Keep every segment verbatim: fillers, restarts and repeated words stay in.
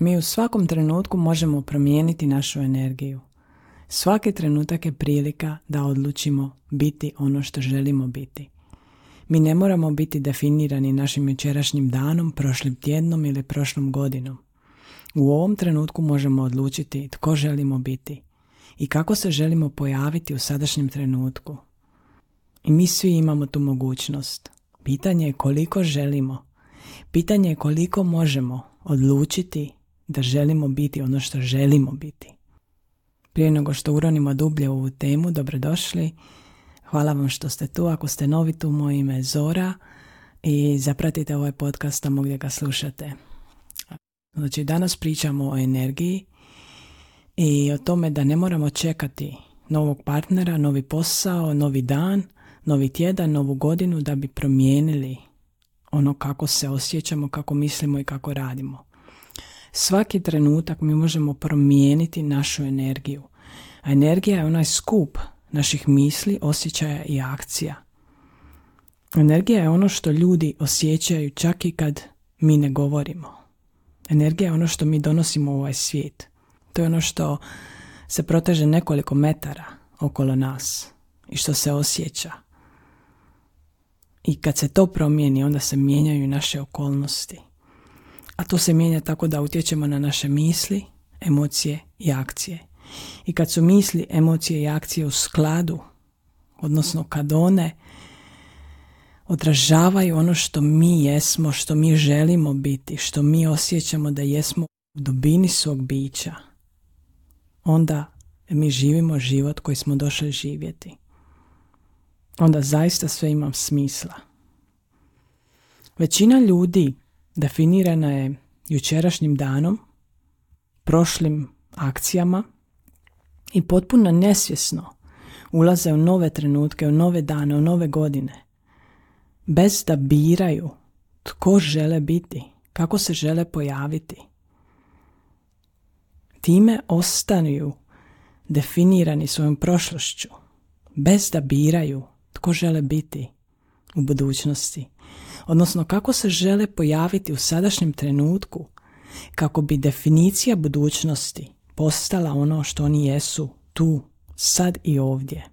Mi u svakom trenutku možemo promijeniti našu energiju. Svaki trenutak je prilika da odlučimo biti ono što želimo biti. Mi ne moramo biti definirani našim jučerašnjim danom, prošlim tjednom ili prošlom godinom. U ovom trenutku možemo odlučiti tko želimo biti i kako se želimo pojaviti u sadašnjem trenutku. I mi svi imamo tu mogućnost. Pitanje je koliko želimo. Pitanje je koliko možemo odlučiti da želimo biti ono što želimo biti. Prije nego što uronimo dublje u ovu temu, dobrodošli. Hvala vam što ste tu. Ako ste novi tu, moje ime je Zora i zapratite ovaj podcast tamo gdje ga slušate. Znači, danas pričamo o energiji i o tome da ne moramo čekati novog partnera, novi posao, novi dan, novi tjedan, novu godinu da bi promijenili ono kako se osjećamo, kako mislimo i kako radimo. Svaki trenutak mi možemo promijeniti našu energiju. A energija je onaj skup naših misli, osjećaja i akcija. Energija je ono što ljudi osjećaju čak i kad mi ne govorimo. Energija je ono što mi donosimo u ovaj svijet. To je ono što se proteže nekoliko metara okolo nas i što se osjeća. I kad se to promijeni, onda se mijenjaju naše okolnosti. A to se mijenja tako da utječemo na naše misli, emocije i akcije. I kad su misli, emocije i akcije u skladu, odnosno kad one odražavaju ono što mi jesmo, što mi želimo biti, što mi osjećamo da jesmo u dubini svog bića, onda mi živimo život koji smo došli živjeti. Onda zaista sve ima smisla. Većina ljudi definirana je jučerašnjim danom, prošlim akcijama i potpuno nesvjesno ulaze u nove trenutke, u nove dane, u nove godine, bez da biraju tko žele biti, kako se žele pojaviti. Time ostanu definirani svojom prošlošću, bez da biraju tko žele biti u budućnosti. Odnosno kako se žele pojaviti u sadašnjem trenutku kako bi definicija budućnosti postala ono što oni jesu tu, sad i ovdje.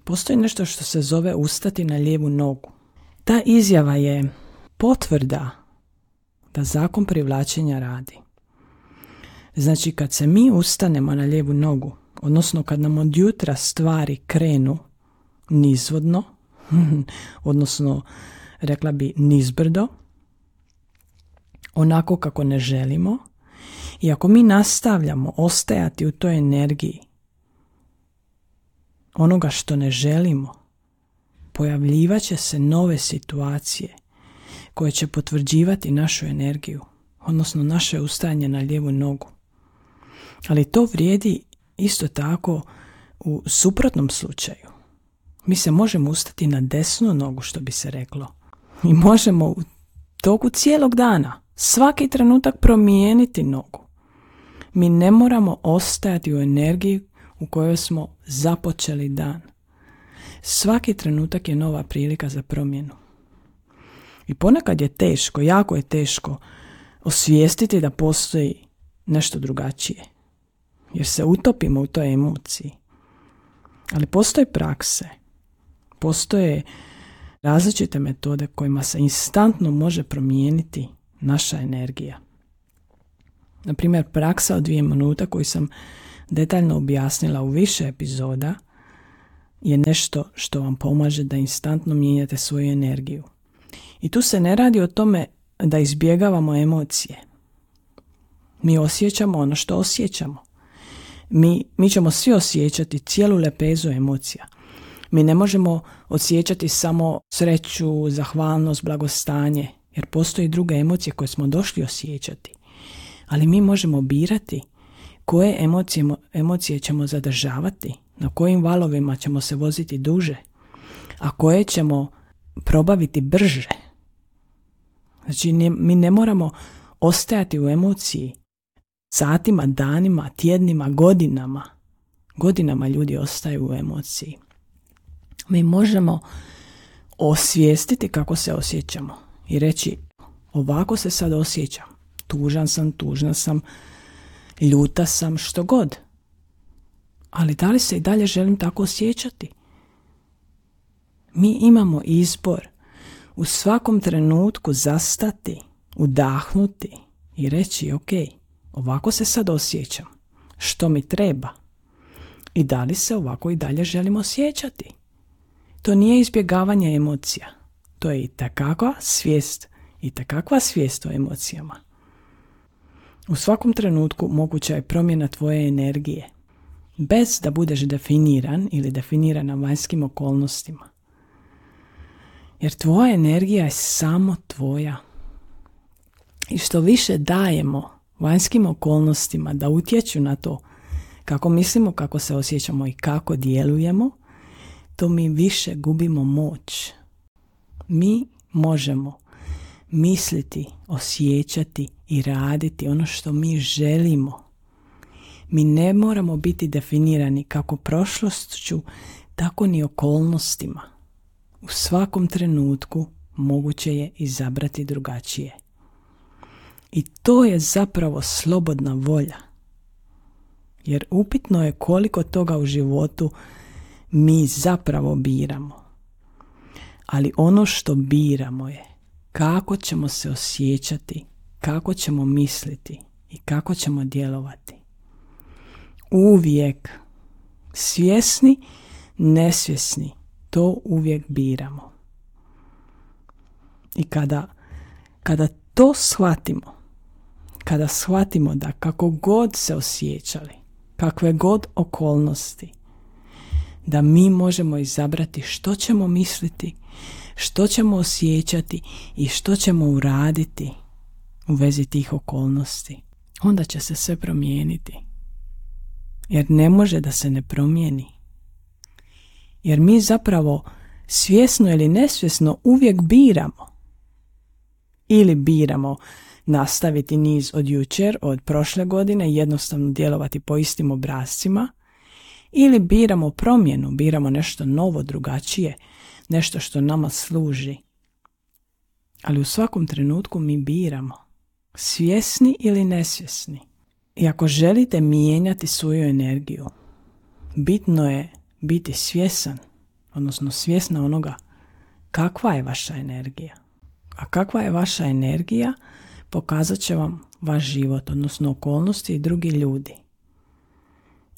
Postoji nešto što se zove ustati na lijevu nogu. Ta izjava je potvrda da zakon privlačenja radi. Znači kad se mi ustanemo na lijevu nogu, odnosno kad nam od jutra stvari krenu nizvodno, odnosno rekla bi nizbrdo, onako kako ne želimo, i ako mi nastavljamo ostajati u toj energiji onoga što ne želimo, pojavljivat će se nove situacije koje će potvrđivati našu energiju, odnosno naše ustajanje na lijevu nogu. Ali to vrijedi isto tako u suprotnom slučaju. Mi se možemo ustati na desnu nogu, što bi se reklo. I možemo u toku cijelog dana, svaki trenutak promijeniti nogu. Mi ne moramo ostajati u energiji u kojoj smo započeli dan. Svaki trenutak je nova prilika za promjenu. I ponekad je teško, jako je teško osvijestiti da postoji nešto drugačije. Jer se utopimo u toj emociji. Ali postoje prakse. Postoje različite metode kojima se instantno može promijeniti naša energija. Na primjer, praksa od dvije minuta koju sam detaljno objasnila u više epizoda je nešto što vam pomaže da instantno mijenjate svoju energiju. I tu se ne radi o tome da izbjegavamo emocije. Mi osjećamo ono što osjećamo. Mi, mi ćemo svi osjećati cijelu lepezu emocija. Mi ne možemo osjećati samo sreću, zahvalnost, blagostanje, jer postoji druge emocije koje smo došli osjećati. Ali mi možemo birati koje emocije, emocije ćemo zadržavati, na kojim valovima ćemo se voziti duže, a koje ćemo probaviti brže. Znači, ne, mi ne moramo ostajati u emociji satima, danima, tjednima, godinama. Godinama ljudi ostaju u emociji. Mi možemo osvijestiti kako se osjećamo i reći ovako se sad osjećam. tužan sam, tužna sam, ljuta sam, što god. Ali da li se i dalje želim tako osjećati? Mi imamo izbor u svakom trenutku zastati, udahnuti i reći ok, ovako se sad osjećam, što mi treba i da li se ovako i dalje želim osjećati. To nije izbjegavanje emocija, to je i takakva svijest i takakva svijest o emocijama. U svakom trenutku moguća je promjena tvoje energije, bez da budeš definiran ili definirana vanjskim okolnostima. Jer tvoja energija je samo tvoja. I što više dajemo vanjskim okolnostima da utječu na to kako mislimo, kako se osjećamo i kako djelujemo, to mi više gubimo moć. Mi možemo misliti, osjećati i raditi ono što mi želimo. Mi ne moramo biti definirani kako prošlošću, tako ni okolnostima. U svakom trenutku moguće je izabrati drugačije. I to je zapravo slobodna volja. Jer upitno je koliko toga u životu mi zapravo biramo. Ali ono što biramo je kako ćemo se osjećati, kako ćemo misliti i kako ćemo djelovati. Uvijek, svjesni, nesvjesni, to uvijek biramo. I kada, kada to shvatimo, kada shvatimo da kako god se osjećali, kakve god okolnosti, da mi možemo izabrati što ćemo misliti, što ćemo osjećati i što ćemo uraditi u vezi tih okolnosti, onda će se sve promijeniti. Jer ne može da se ne promijeni. Jer mi zapravo svjesno ili nesvjesno uvijek biramo. Ili biramo nastaviti niz od jučer, od prošle godine i jednostavno djelovati po istim obrascima, ili biramo promjenu, biramo nešto novo, drugačije, nešto što nama služi. Ali u svakom trenutku mi biramo, svjesni ili nesvjesni. I ako želite mijenjati svoju energiju, bitno je biti svjesan, odnosno svjesna onoga kakva je vaša energija. A kakva je vaša energija pokazat će vam vaš život, odnosno okolnosti i drugi ljudi.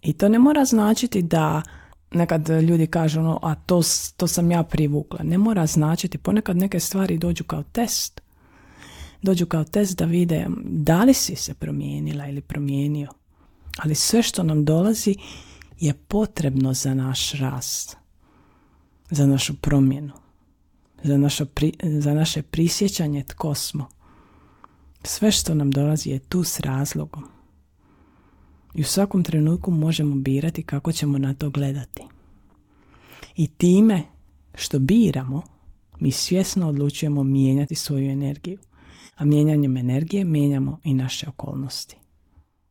I to ne mora značiti da nekad ljudi kažu ono, a to, to sam ja privukla. Ne mora značiti, ponekad neke stvari dođu kao test. Dođu kao test da vide da li si se promijenila ili promijenio. Ali sve što nam dolazi je potrebno za naš rast, za našu promjenu, za, našo pri, za naše prisjećanje tko smo. Sve što nam dolazi je tu s razlogom. I u svakom trenutku možemo birati kako ćemo na to gledati. I time što biramo, mi svjesno odlučujemo mijenjati svoju energiju. A mijenjanjem energije mijenjamo i naše okolnosti.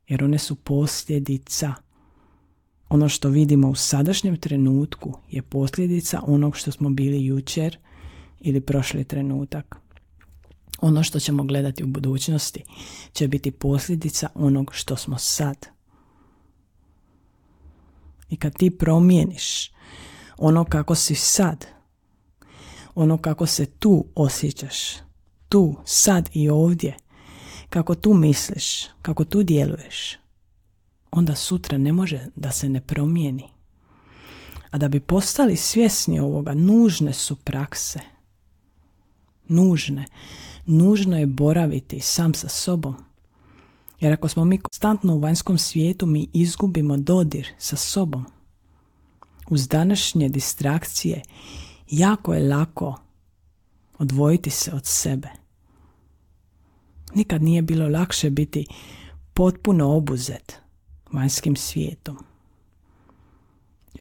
Jer one su posljedica. Ono što vidimo u sadašnjem trenutku je posljedica onog što smo bili jučer ili prošli trenutak. Ono što ćemo gledati u budućnosti će biti posljedica onog što smo sad. I kad ti promijeniš ono kako si sad, ono kako se tu osjećaš, tu, sad i ovdje, kako tu misliš, kako tu djeluješ, onda sutra ne može da se ne promijeni. A da bi postali svjesni ovoga, nužne su prakse. Nužne. Nužno je boraviti sam sa sobom. Jer ako smo mi konstantno u vanjskom svijetu, mi izgubimo dodir sa sobom. Uz današnje distrakcije jako je lako odvojiti se od sebe. Nikad nije bilo lakše biti potpuno obuzet vanjskim svijetom.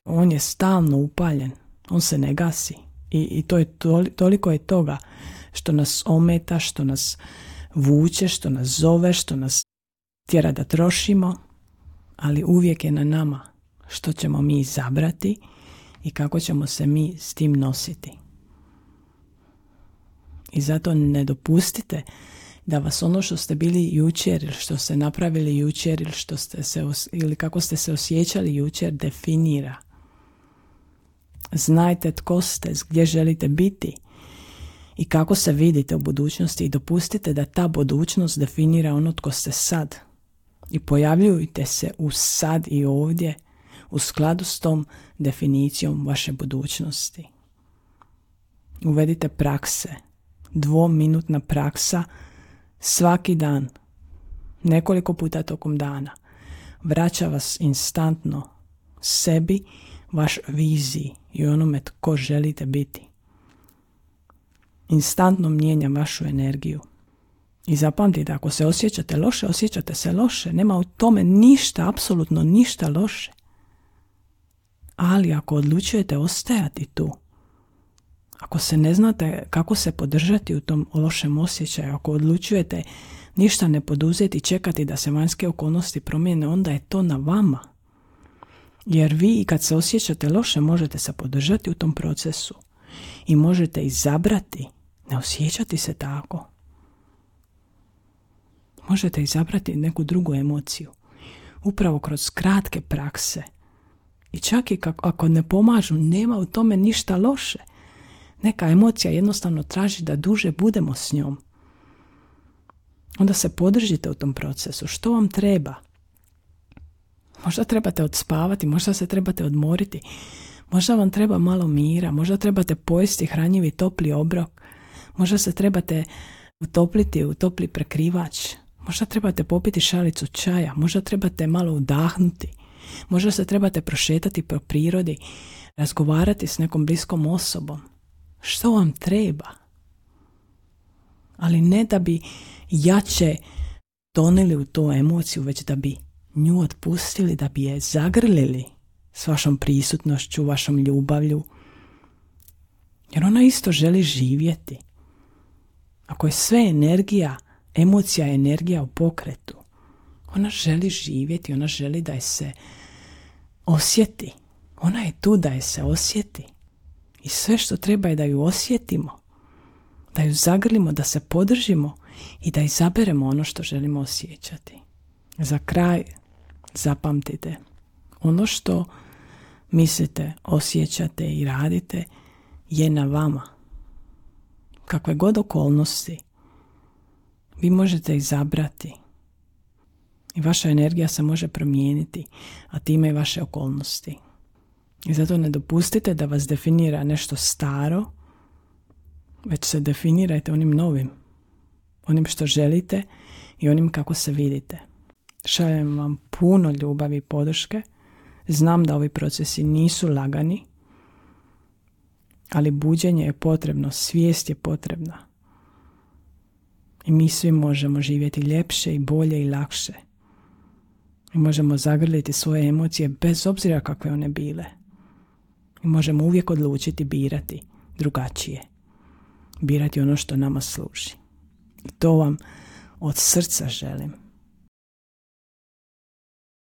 On je stalno upaljen, on se ne gasi. I, i to je toli, toliko je toga što nas ometa, što nas vuče, što nas zove, što nas tjera da trošimo, ali uvijek je na nama što ćemo mi izabrati i kako ćemo se mi s tim nositi. I zato ne dopustite da vas ono što ste bili jučer ili što ste napravili jučer ili, što ste se os- ili kako ste se osjećali jučer definira. Znajte tko ste, gdje želite biti i kako se vidite u budućnosti i dopustite da ta budućnost definira ono tko ste sad. I pojavljujte se u sad i ovdje u skladu s tom definicijom vaše budućnosti. Uvedite prakse. Dvominutna praksa svaki dan, nekoliko puta tokom dana. Vraća vas instantno sebi, vaš viziji i onome tko želite biti. Instantno mijenja vašu energiju. I zapamtite, ako se osjećate loše, osjećate se loše. Nema u tome ništa, apsolutno ništa loše. Ali ako odlučujete ostajati tu, ako se ne znate kako se podržati u tom lošem osjećaju, ako odlučujete ništa ne poduzeti i čekati da se vanjske okolnosti promijene, onda je to na vama. Jer vi kad se osjećate loše možete se podržati u tom procesu i možete izabrati ne osjećati se tako. Možete izabrati neku drugu emociju. Upravo kroz kratke prakse. I čak i kako, ako ne pomažu, nema u tome ništa loše. Neka emocija jednostavno traži da duže budemo s njom. Onda se podržite u tom procesu. Što vam treba? Možda trebate odspavati, možda se trebate odmoriti. Možda vam treba malo mira, možda trebate pojesti hranjivi topli obrok. Možda se trebate utopliti u topli prekrivač. Možda trebate popiti šalicu čaja, možda trebate malo udahnuti. Možda se trebate prošetati po prirodi, razgovarati s nekom bliskom osobom. Što vam treba? Ali ne da bi jače tonili u tu emociju, već da bi nju otpustili, da bi je zagrlili s vašom prisutnošću, vašom ljubavlju. Jer ona isto želi živjeti. Ako je sve energija, emocija je energija u pokretu. Ona želi živjeti, ona želi da je se osjeti. Ona je tu da je se osjeti. I sve što treba je da ju osjetimo, da ju zagrlimo, da se podržimo i da izaberemo ono što želimo osjećati. Za kraj zapamtite, ono što mislite, osjećate i radite je na vama. Kakve god okolnosti vi možete izabrati i vaša energija se može promijeniti, a time i vaše okolnosti. I zato ne dopustite da vas definira nešto staro, već se definirajte onim novim, onim što želite i onim kako se vidite. Šaljem vam puno ljubavi i podrške. Znam da ovi procesi nisu lagani, ali buđenje je potrebno, svijest je potrebna. I mi svi možemo živjeti ljepše i bolje i lakše. I možemo zagrliti svoje emocije bez obzira kakve one bile. I možemo uvijek odlučiti birati drugačije. Birati ono što nama služi. I to vam od srca želim.